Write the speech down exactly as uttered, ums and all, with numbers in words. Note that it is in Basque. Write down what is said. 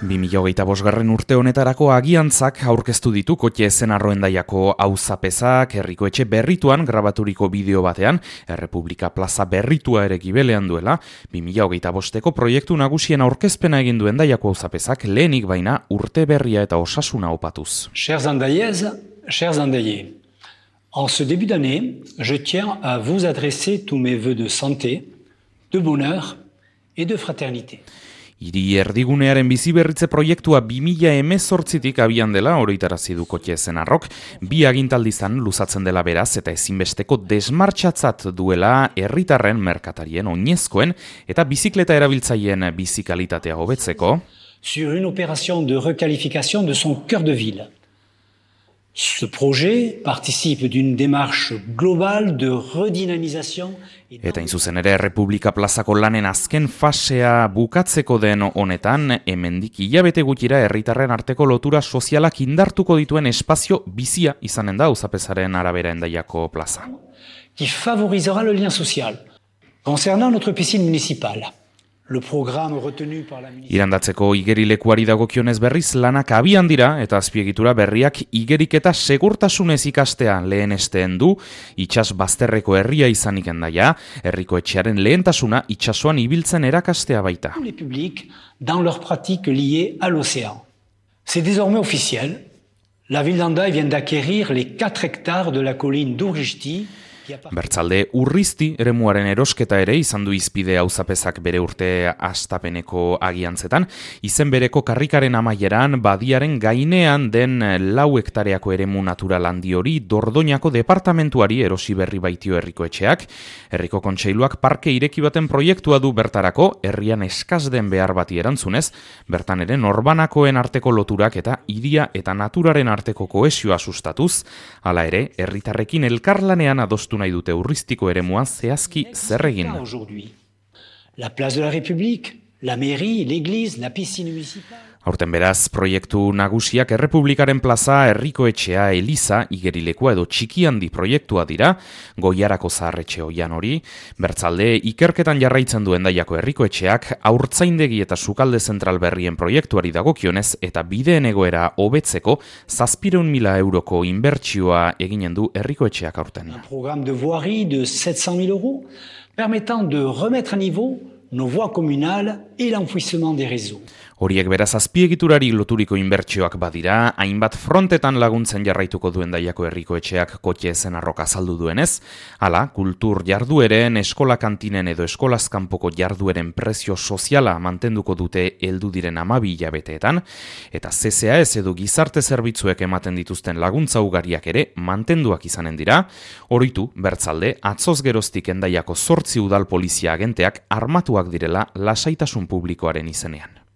bi mila hogeita bosgarren urte honetarako agiantzak aurkeztu ditu Kotxe Zenarroendaiako auzapezak herriko etxe berrituan grabaturiko bideo batean, Errepublika Plaza berritua ere gibelean duela, bi mila hogeita bosteko proiektu nagusien aurkezpena egin duen Endaiako auzapezak lehenik baina urte berria eta osasuna opatuz. Chers Andaiaises, chers Andaiais, en ce début d'année, je tiens à vous adresser tous mes vœux de santé, de bonheur et de fraternité. Hiri erdigunearen biziberritze proiektua bi mila hemezortzitik abian dela oroitarazi du Kotxe Zenarrok, bi agintaldizan luzatzen dela beraz eta ezinbesteko desmartxatzat duela herritarren merkatarien oinezkoen eta bizikleta erabiltzaileen bizikalitatea hobetzeko. Sur une opération de requalification de son cœur de ville. Ce projet participe d'une démarche globale de redynamisation. Eta inzuzen ere Errepublika Plazako lanen azken fasea bukatzeko den honetan, hemendik hilabete gutxira herritarren arteko lotura sozialak indartuko dituen espazio bizia izanen da auzapezaren arabera Endaiako plaza. Qui favorisera le lien social. Concernant notre piscine municipale. Le programme retenu par la Irandatzeko igerilekuari dagokionez berriz lanak abian dira eta azpiegitura berriak igeriketa segurtasunez ikastea lehenesteen du, itsas bazterreko herria izanik Endaia, herriko etxearen lehentasuna itsasoan ibiltzen erakastea baita. Les publics dans leurs pratiques liées à l'océan. C'est désormais officiel. La ville d'Hendaye vient d'acquérir les quatre hectares de la colline d'Urristi. Bertzalde Urrizti eremuaren erosketa ere izan du izpide auzapezak bere urte hastapeneko agiantzetan, izen bereko karrikaren amaieran badiaren gainean den lau hektareako eremu natural handi hori Dordoñako departamentuari erosi berri baitio herriko etxeak. Herriko kontseiluak parke ireki baten proiektua du bertarako, herrian eskaz den behar bati erantzunez, bertan ere norbanakoen arteko loturak eta hiria eta naturaren arteko kohesioa sustatuz, hala ere, herritarrekin elkarlanean adostu nahi dute Urriztiko eremuan zehazki zer egin. La place de la République, la mairie, l'église, la piscine municipale. Aurten beraz, proiektu nagusiak Errepublikaren plaza, herriko etxea, eliza, igerilekua edo txiki handi proiektua dira, Goiarako zaharretxe oian hori, bertzalde ikerketan jarraitzen duen Endaiako herriko etxeak, haurtzaindegi eta sukalde zentral berrien proiektuari dagokionez eta bideen egoera hobetzeko zazpireun mila euroko inbertsioa eginen du herriko etxeak aurten. Un programme de voirie de sept cent mille euros permettant de remettre à niveau nos voies communales et l'enfouissement des réseaux. Horiek beraz azpiegiturari loturiko inbertsioak badira, hainbat frontetan laguntzen jarraituko duen Endaiako herriko etxeak Kotxe Zenarrok azaldu duenez, hala, kultur jardueren, eskola kantinen edo eskolazkanpoko jardueren prezio soziala mantenduko dute heldu diren hamabi hilabeteetan, eta C C A S edo gizarte zerbitzuek ematen dituzten laguntza ugariak ere mantenduak izanen dira, oroitu, bertzalde, atzoz geroztik Endaiako zortzi udal polizia agenteak armatuak direla lasaitasun publikoaren izenean.